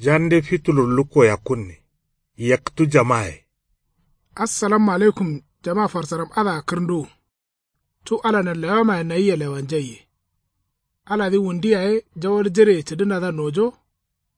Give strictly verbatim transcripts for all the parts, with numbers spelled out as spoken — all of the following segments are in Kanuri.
Jande fitulur lukko yakkunne. Yaktǝ jamaye. Assalamu alaikum. Jama farsaram adǝa kǝrnduwu. Cu ala nanlewamaye nayia lewanjaiye. Aladǝ wundu yaye jawal jireye cǝdǝnadǝa nojo.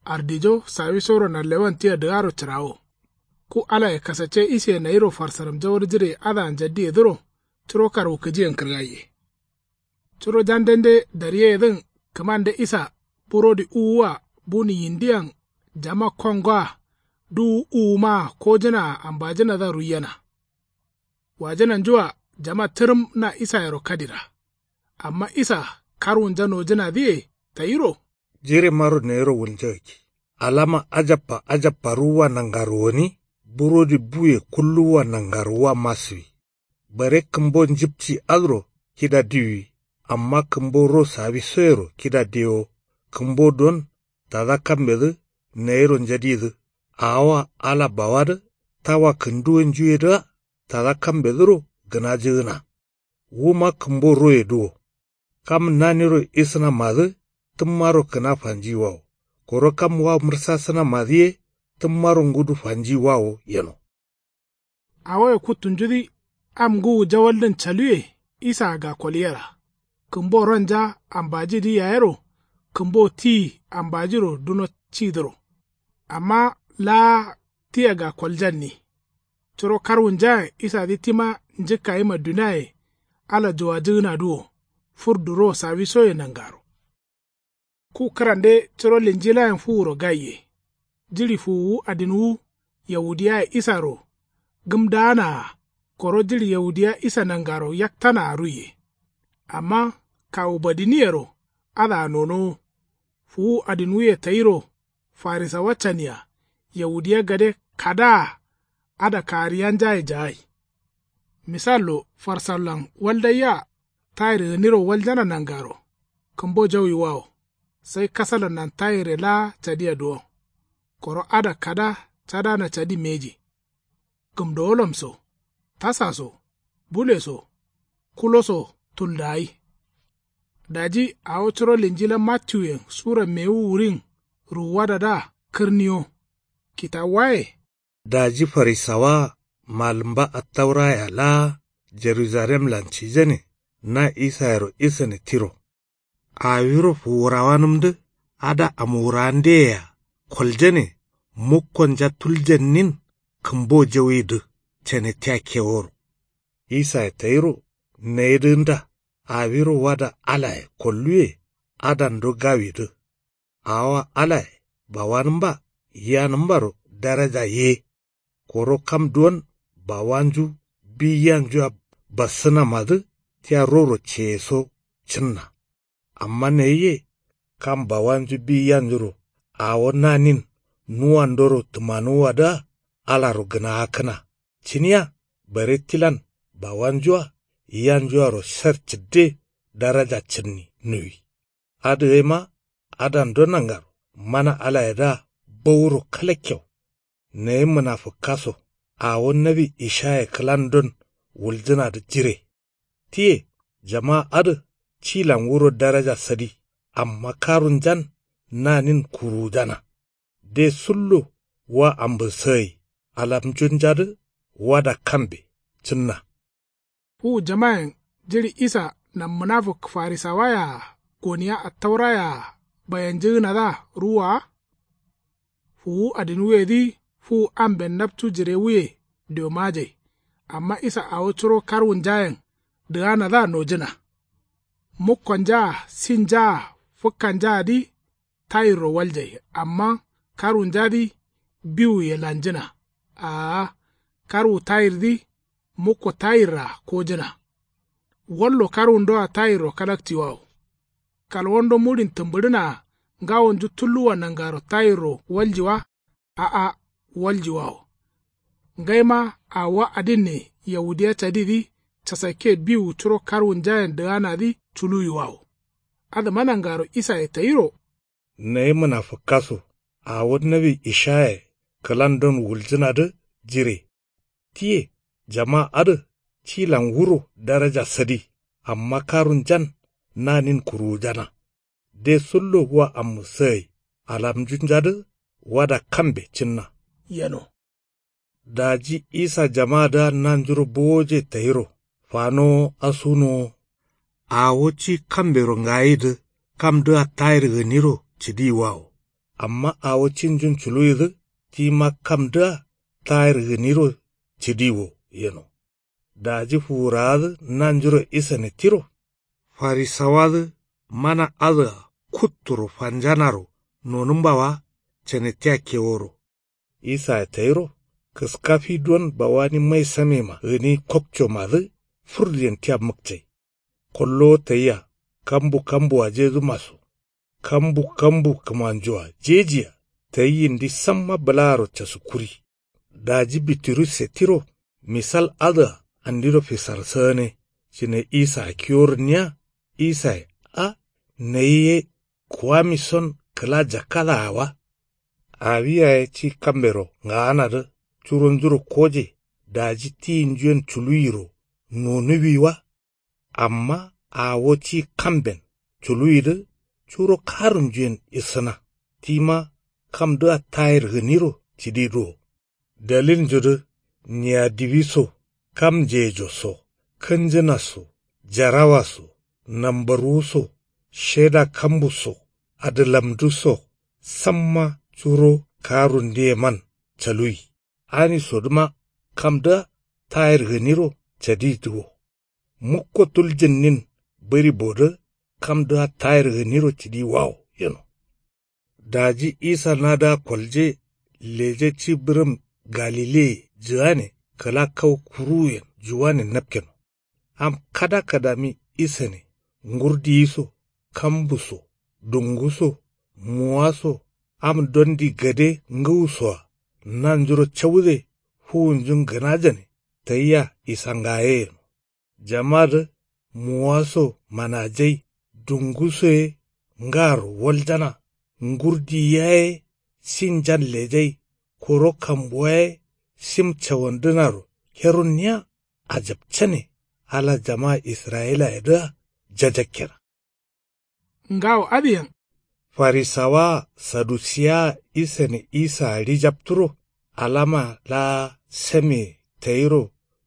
Ardijo sawisoro nanlewan tia dǝgaro cǝrawo. Ku alaye kasacce iseye nayiro farsaram jawal jireye adǝa njaddiyedǝro. Curo karwukǝjiyen kǝrgaiye. Curo jandende daryeyedǝn kǝmande isa burodi uwua buni yindiyan jama kongoa duwu uwumaa kojǝnaa ambajǝnadǝa ruiyena. Wajǝnanjua jama tǝrǝm na isayero kadira. Amma isa karwunja nojǝnadǝye tayiro. Jiremaro nayiro wulnjagakki. Alama ajabba ajabba ruwwa nangaro gǝni. Burodi buye kulluwwa nangaro wa masiwi. Bare kǝmbo njǝpci adǝro kida diwi. Amma kǝmbo ro sawisoyero kida diwo. Kǝmbo don tada kambedǝ nayiro njadidǝ. Awowa ala bawadǝ tawa kǝnduwonjuyedǝa tada kambedǝro gǝnajǝgǝna. Wuma kǝmbo royedǝ wo. Kam naniro isǝnamadǝ tǝmmaro kǝna fanjiyiwawo. Koro kam wa mǝrsasǝnamadǝ ye tǝmmaro ngudu fanjiyiwawo yeno. Awoye kuttunjudǝ am ngǝwu jawaldǝn caluwe. Isaa gakkol yera. Kǝmbo ronja ambajidǝ yayero. Kǝmbo ti ambajiro duno cidǝro. Amma laa tia gakkoljanni. Curo karwunjayen isadǝ tima njǝkkayima duniaye. Ala juwajǝgǝnadǝ wo. Furdu ro sawisoye nangaro. Ku kǝrande curo linjilayen fuwuro gaiye. Jiɍi fuwuwu adinwu yahudiyaye isaro gǝmdaanaa. Koro jiɍi yahudiya isa nangaro yaktanaa ruiye. Amma kawu badiniyero adǝa nonowo. Fuwu adinwuye tayiro farisawa cania yahudiya gade kadaa. Ada kagǝriyanjaye jagai. Misallo farsallan waldaiya tayir gǝniro waljana nangaro kǝmbo jauyiwawo. Sai kasalannan tayirre laa cadia duwon. Koro ada kada cadana cadi mbeji. Gǝmdowolam so tasa so bule so kulo so tuldagai. Daji awo curo linjila mattiwuyen sura mewu wurin ruwuwadadǝa kǝrniyo. Kitawuwaye. Daji farisawaa malǝmba attauraya laa jerujalemlan cijane na isayero isane tiro. Awiro fuwurawanǝmdǝ ada amwurawandeyea koljane mukkonja tuljannin kǝmbo jauyidǝ cane tia keworo. Isaye tayiro nayidǝgǝnda awiro wada alaye kolluwe adando gawidǝ. Awowa alaye bawanǝmba yiyanǝmbaro daraja ye. Koro kam duwon bawanju bi yiyanjua bassǝnamadǝ tia roro ceyeso cǝnna. Amma nayiye kam bawanju bi yiyanjuro awo nanin nuwandoro tǝmanuwwadǝa alaro gǝnaakkǝna cǝniya. Bare tilan bawanjua yiyanjuaro sher cǝdde daraja cǝnni nuwi. Adǝ gaima adando nangaro mana alayedǝa bowuro kalakkeu. Nayi mǝnafǝkka so awo nawi ishaye kǝlandon wuljǝnadǝ jire. Tiye jama adǝ cilan wuro daraja sadi amma karunjan nanin kuruwujana. De sullo wa ambǝsǝgai alamjunjadǝ wada kambe cǝnna. Wu jamayen jiɍi isa nan mǝnafǝk farisawaye-a goniya attauraye-a bayanjǝgǝnadǝa ruwwa wa. Fuwu adinwuyedǝ fuwu amben napcu jirewuye diomajai. Amma isa awo curo karwunjayen dǝganadǝa nojǝna. Mukkonjaa sinjaa fǝkkanjaadǝ tayirro waljai amma karwunjadǝ biwuye lanjǝna. Aa karwu tayirdǝ mukko tayirraa kojǝna. Wallo karwundoa tayirro kalakciwawo. Kalwando muɍin tǝmbǝɍǝnaa ngawonju tulluwa nangaro tayirro walji wa. A'a waljiwawo. Ngaima awowa adinne yahudiya cadidǝ casakke biwu curo karwunjayen dǝganadǝ culuwiwawo. Adǝma nangaro isaye tayiro. Nayi mǝnafǝkka so awo nawi ishaye kǝlandon wuljǝnadǝ jire. Tiye jama adǝ cilan wuro daraja sadi amma karunjan nanin kuruwujana. De sullo wa ammǝsǝgai alamjunjadǝ wada kambe cǝnna. Yeno. Daji isa jamadǝa nanjuro bowoje tayiro fanowo asunowo. Awo ci kambero ngayidǝ kamdǝa tayir gǝniro cǝdiyiwawo. Amma awo cinjun culuwidǝ tima kamdǝa tayir gǝniro cǝdiyiwo yeno. Daji fuwurawadǝ nanjuro isane tiro. Farisawadǝ mana adǝa kutturo fanjanaro nonǝmba wa cane tia keworo. Isaye tayiro kǝska fi don bawani mai samema gǝni kokcomadǝ furdiyen tia mǝkcai. Kollowo tayia kambu kambuwajedǝma so kambu kambu kǝmanjoa jejia tayi yindi samma bǝlaaro casukkuri. Daji bitirusse tiro misal adǝa andiro fisarsagǝne cǝne isaa kiyorǝnniya. Isaye a nayi ye kuwamison kǝla jakkadǝa wa. Awi yaye ci kambero ngaanadǝ curonjuro koje daji tiyinjuyen culuwiro nonuwi wa. Amma awo ci kamben culuwidǝ curo karunjuyen isǝna tima kamdǝa tayir gǝniro cǝdidǝ wo. Dalilnjudǝ niya diwi so kam njejo so kǝnjǝna so jarawa so nambarwu so sheda kambu so adǝlamdǝ so samma curo karundǝyeman caluwi. Anisodǝma kamdǝa tayir gǝniro cadidǝ wo. Mukko tuljǝnnin bǝri bodǝ kamdǝa tayir gǝniro cǝdiwawo yeno. Daji isa nadǝa kolje leje ci bǝrǝm galileye jǝgane kǝla kau kuruwuyen juwanen napkeno. Am kada kadami isane ngurdiyi so kambu so dungu so muwa so am dondi gade ngǝwusoa nanjuro cawude fuwunjun gǝnajane tayia isangaye yeno. Jamadǝ muwa so manajai dungu so ye ngaro waljana ngurdiyi yaye sinjan lejai koro kambuwa ye sim cawandǝnaro herunniya. Ajabcane ala jama israyilayedǝa jajakkena. Ngawo adǝyen. Farisawaa sadusiyaa isane isaa ɍijapturo alama laa sameye tayiro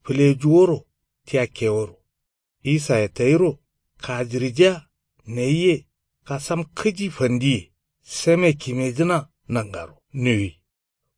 fǝlejuworo tia keworo. Isaye tayiro kajirijiya nayi ye kasam kǝji fandiye same kimejǝna nangaro nuwi.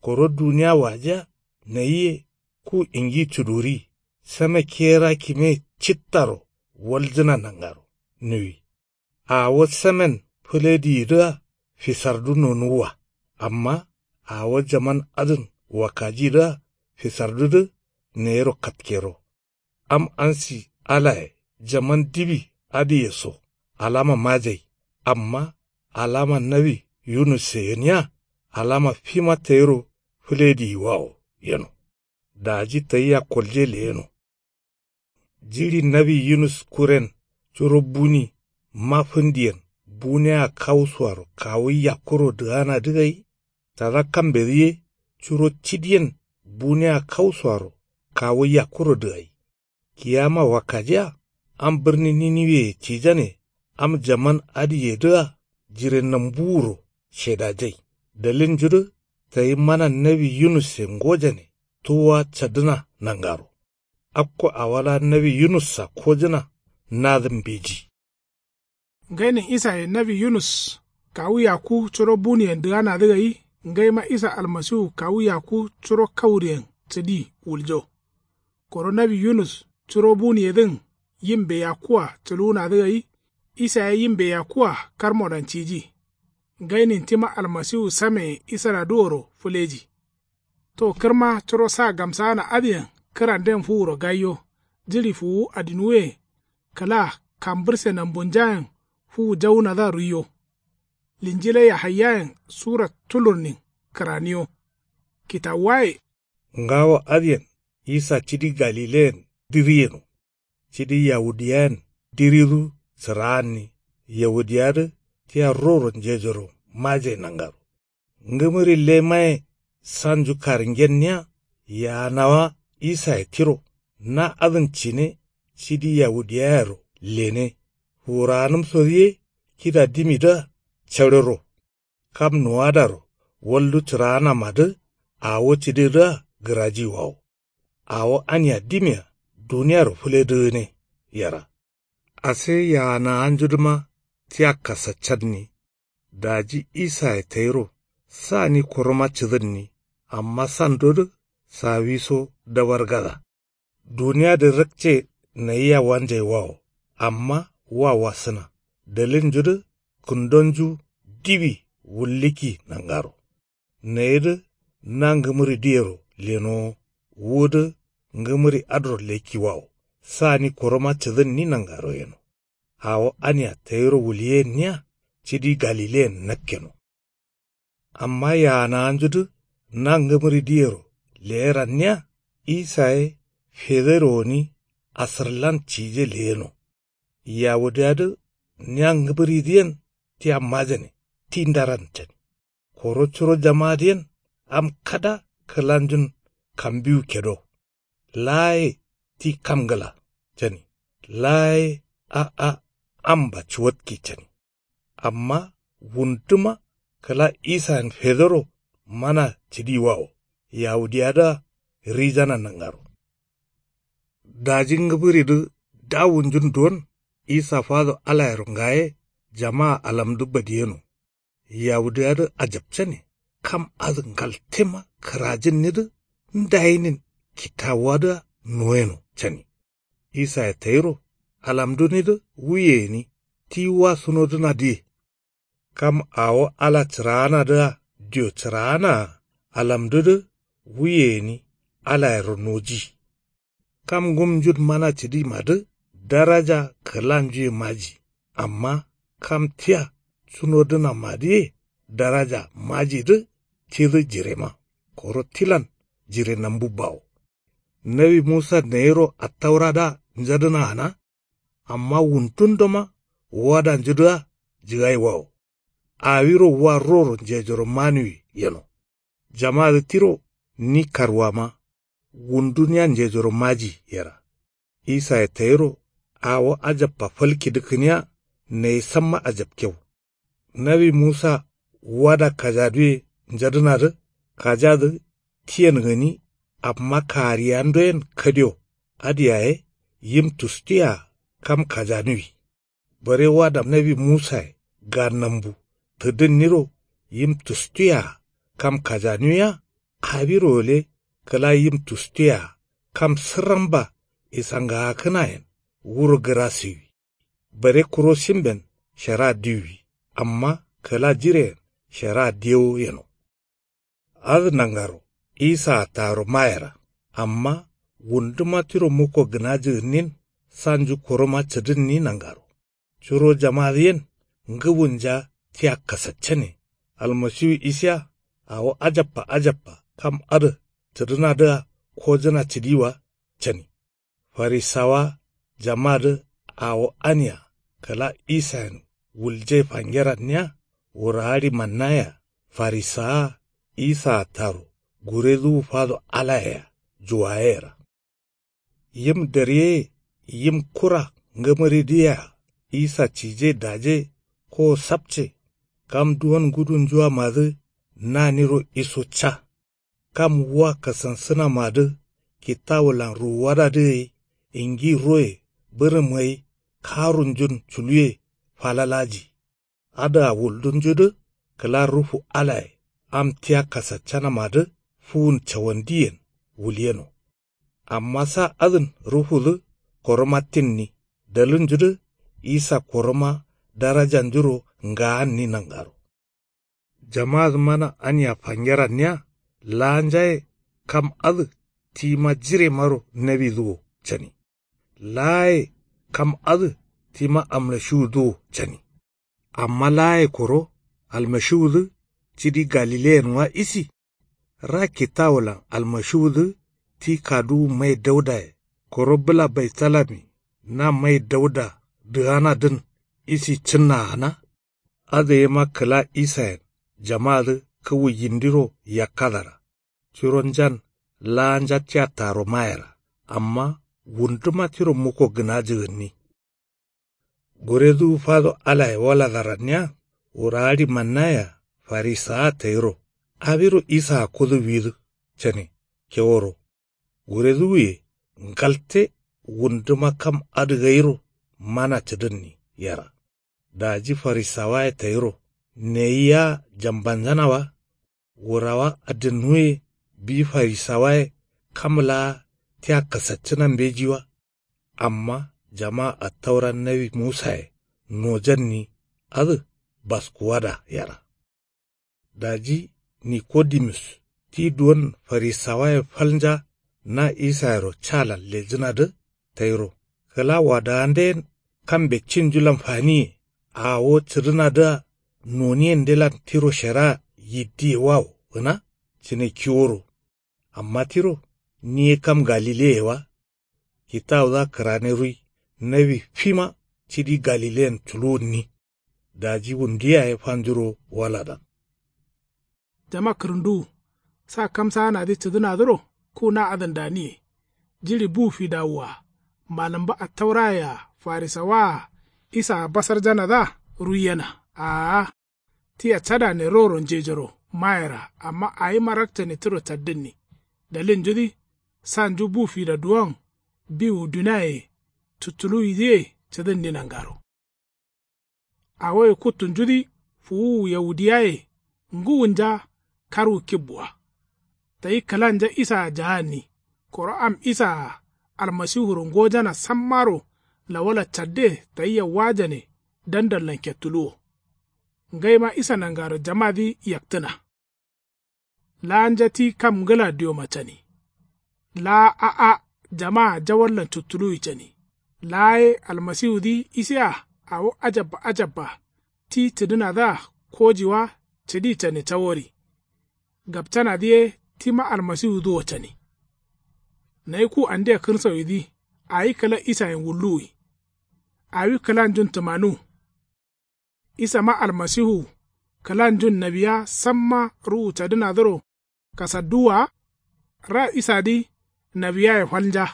Koro duniya wajiya nayi ye ku ingi cuduri same kera kime cittaro waljǝna nangaro nuwi. Awo samen fǝlediyidǝa fisardu nonuwwa. Amma awo jaman adǝn wakkajidǝa fisardudǝ nayiro katkero. Am ansi alaye jaman diwi adǝye so alama majai. Amma alama nawi yunusse gǝniya alama fima tayiro fǝlediyiwawo yeno. Daji tayia kolje leyeno. Jiɍi nawi yunus kuren curo buni mafǝndiyen buniya kawusuaro kawu yakkuro dǝganadǝ gai. Tada kambedǝ ye curo cidiyen buniya kawusuaro kawu yakkuro dǝgai. Kiyama wakkajiya am bǝrni niniweye cijane am jaman adǝyedǝa jire nambuwuro shedajai. Dalilnjudǝ tayi mana nawi yunusse ngojane tuwwa cadǝna nangaro. Akko awo laa nawi yunussa kojǝna nadǝ mbeji. Ngainin isaye nawi yunus kawu yakku curo buniyen dǝganadǝ gai. Ngaima isa almasiwu kawu yakku curo kauriyen cǝdi wuljo. Koro nawi yunus curo buniyedǝn yimbe yakkua cǝluwunadǝ gai. Isa ye yimbe yakkua karmodan ciji. Ngainin tima almasiwu sameye isaladǝworo fǝleji. To kǝrma curo sa gamsagana adǝyen kǝranden fuwuro gaiyo. Jiɍi fuwuwu adinwuye kǝla kambǝrse nambunjayen fuwu jawunadǝa ruiyo. Linjila yahaiyayen sura tulurnin kǝraniyo. Kitawuwaye. Ngawo adǝyen isa cidi galileyen diri yeno. Cidi yawudiyayen diridu sǝraanni yawudiyadǝ tia roro njejoro maje nangaro. Ngǝmǝri lemaye sanju karǝngenniya yaanawa isaye tiro na adǝn cine cidi yawudiyayero lene. Fuwurawanǝmsodǝ ye kida dimidǝa carero. Kam nuwadaro Waldu cǝraanamadǝ awo cǝdedǝa gǝrajiwawo. Awo ania dimia duniyaro fǝledǝgǝne yera. Ase yaanawanjudǝma tia kasaccanni. Daji isaye tayiro sani kuruma cǝdǝnni. Amma sandodǝ sawiso dawargada. Duniyadǝ rakce nayia wanjaiwawo. Amma wa wasǝna dalilnjudǝ kǝndonju diwi wullikki nangaro. Nayidǝ na ngǝmǝridǝyero lenowo. Wudǝ ngǝmǝri adǝro lekkiwawo. Sani kuruma cǝdǝnni nangaro yeno. Awo ania tayiro wulyenniya cidi galileyen nakkeno. Amma yaanawanjudǝ na ngǝmǝridǝyero leyeranniya. Isa ye federowoni asǝrlan cije leyeno. Yawudiyadǝ nia ngǝmǝridǝyen tia majane ti ndaran cani. Koro curo jamadǝyen am kada kǝlanjun kambiwu kedo. Laa ye ti kam ngǝla cani. Laa ye a'a amba cuwatki cani. Amma wunduma kǝla isayen fedoro mana cǝdiwawo. Yawudiyadǝa rijana nangaro. Daji ngǝbǝridǝ dawunjun duwon isa fado alayero ngaye. Jamaa alamdǝ badiyeno. Yawudiyadǝ ajapcane. Kam adǝ ngaltema kǝrajinnidǝ ndayinin kitawuwadǝa noyeno cani. Isaye tayiro alamdunidǝ wuye gǝni ti wa sunodǝnadǝye. Kam awo ala cǝraanadǝa dio cǝraanaa alamdudǝ wuye gǝni alayero noji. Kam ngumnjun mana cǝdimadǝ daraja kǝlanjuye maji. Amma kam tia cunodǝnamadǝye daraja majidǝ tidǝ jirema. Koro tilan jire nambu bawo. Nawi musa nayiro attauradǝa njadǝna gǝna. Amma wuntundoma wadanjudǝa jǝgaiwawo. Awiro wa roro njejoro manuwi yeno. Jamadǝ tiro ni karwama wundu nia njejoro maji yera. Isaye tayiro awo ajabba falkidǝ kǝniya. Nayi samma ajabkew. Nawi musa wada kajaduwe njadǝnadǝ kajadǝ tiyen gǝni. Amma kariyandoyen kadio adǝ yaye yim tustuye-a kam kajanuwi. Bare wada nawi musaye ga nambu tǝdǝnniro yim tustuye-a kam kajanuwiya. Awiro gǝle kǝla yim tustuye-a kam sǝrramba isangagakǝnayen wuro gǝrasiwi. Bare kuro shimben shara diwwi. Amma kǝla jireyen shara dewo yeno. Adǝ nangaro isaa taro mayera. Amma wunduma tiro mukko gǝnaji gǝnnin sanju kuruma cǝdǝnni nangaro. Curo jamadǝyen ngǝbunja tia kasaccane. Almasiwu isiya awo ajabba ajabba kam adǝ cǝdǝnadǝa kojǝna cǝdiwa cani. Farisawa jamadǝ awo ania kǝla isayen wulje fangeranniya. Wuraadi mannaya farisawa isaa taro guredǝwu fado alayea juwayeyera. Yim daryeye yim kura ngǝmǝridǝyea isa cije daje ko sapce. Kam duwon ngudunjuwamadǝ naniro iso ca. Kam wa kasansǝnamadǝ kitawulan ruwuwadadǝ gai ingi roye bǝrǝm gai karunjun culuye falalaji. Adǝa wuldunjudǝ kǝla ruhu alaye am tia kasaccanamadǝ fuwun cawandiyen wulyeno. Amma sa adǝn ruhudǝ koromattinni dalilnjudǝ isa koroma darajanjuro ngaanni nangaro. Jamadǝ mana ania fangeranniya laanja ye kam adǝ tima jiremaro nawidǝ wo cani. Laaye kam adǝ tima almashiwudǝ wo cani. Amma laaye koro almashiwudǝ cidi galileyen wa isi. Ra kitawulan almashiwudǝ ti kaduwu mai daudaye koro bǝla baitalami na mai dauda dǝganadǝn isi cǝnnagana. Adǝ yema kǝla isayen jamadǝ kǝwu yindiro yakkadara. Curonjan laanja tia taro mayera. Amma wunduma tiro mukko gǝnajǝ gǝnni. Guredǝwu fado alaye waladaranniya wuraadi mannaya farisawa tayiro Awiro isaa kudu widǝ cane keworo guredǝ wuye ngalte wunduma kam adǝ gairo mana cǝdǝnni yera. Daji farisawaye tayiro neyi yea jambanjana wa. Wurawa adǝnnuye bi farisawaye kam laa tia kasaccǝna mbeji wa. Amma jamaa attaura nawi musaye nojanni adǝ baskuwada yera. Daji nikodimus ti duwon farisawaye falnja na isayero calan lejǝnadǝ tayiro kǝla wadawanden kambe cinjulan faniye awo cǝdǝnadǝa noniyendelan tiro shari'a yiddiye wawo gǝna cǝne kiworo. Amma tiro ni ye kam galileye wa. Kitawudǝa kǝrane ruyi nawi fima cidi galileyen culuwunni. Daji wundu yaye fanjuro waladan. Jama kǝrǝnduwu sa kamsaanadǝ cǝdǝnadǝro ku na adǝn daniye. Jiɍi bu fidawua malǝmba attauraye-a farisawaa isaa basarjanadǝa ruiyena. Aa tia cadane roro njejoro mayera amma awima rakcane tiro caddǝnni. Dalilnjudǝ sanju bu fida duwon biwu duniaye cuttuluwidǝye cǝdǝnni nangaro. Awoye kuttunjudǝ fuwuwu yaudiyaye ngǝwunja karwu kibbua. Tayi kǝlanja isaa jaanni koro am isaa-a almasihuro ngojana sammaro lawala cadde tayia wajane dandallan kettuluwo. Ngaima isa nangaro jamadǝ yaktǝna. Laanja ti kam ngǝla dioma cani. Laa a'a jamaa jawallan cuttuluwi cani. Laa ye almasiwudǝ isea awo ajabba ajabba ti cǝdǝnadǝa koji wa cǝdi cane cawori. Gapcanadǝ ye tima almasiwudǝ wo cani. Nayi ku andia kǝrsawidǝ awi kǝla isayen wulluwi. Awi kǝlanjun tǝmanu. Isama almasihu kǝlanjun nawiya samma ruwu cadǝnadǝro kasadduwwa wa. Ra isadǝ nawiyaye falnja.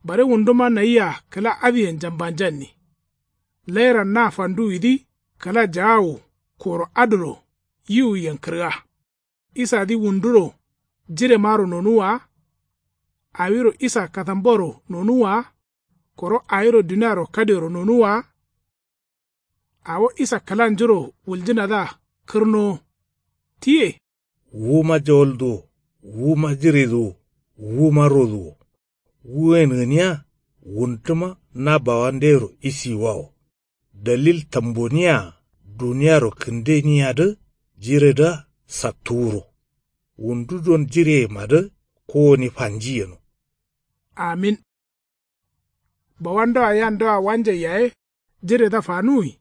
Bare wunduma nayia kǝla adǝyen jambanjanni. Lairan na fanduwidǝ kǝla jaawu koro adǝro yiwuyen kǝrga. Isadǝ wunduro jiremaro nonuwwa wa. Awiro isa katambaro nonuwwa wa. Koro awiro duniaro kadero nonuwwa wa. Awo isa kǝlanjuro wuljǝnadǝa kǝrnowo. Tiye. Wuma jawalduwo wuma jiredǝ wo wuma rodǝ wo. Wuyen gǝniya wunduma na bawandeyero isiyiwawo. Dalil tamboniye-a duniaro kǝndeniyadǝ jiredǝa sattuwuro. Wundu don jireyemadǝ kowoni fanji yeno. Amin. Bawandoa yandoa wanjai yaye jiredǝa fanuwi.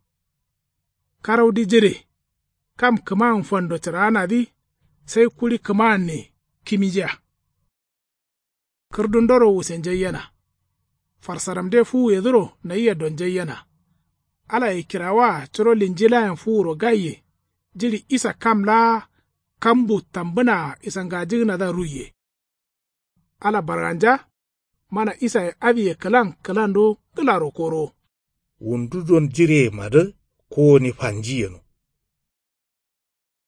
Karaudǝ jire kam kǝmawun fando cǝraanadǝ sai kuɍi kǝmaanne kimijiya. Kǝrdundoro wusenjaiyena. Farsaramde fuwuyedǝro nayia donjaiyena. Alaye kirawaa curo linjilayen fuwuro gaiye jiɍi isa kam laa kambu tambǝnaa isangajǝgǝnadǝa ruiye. Ala barganja mana isaye adǝye kǝlan kǝlando ngǝlaro korowo. Wundu don jireyemadǝ kowoni fanji yeno.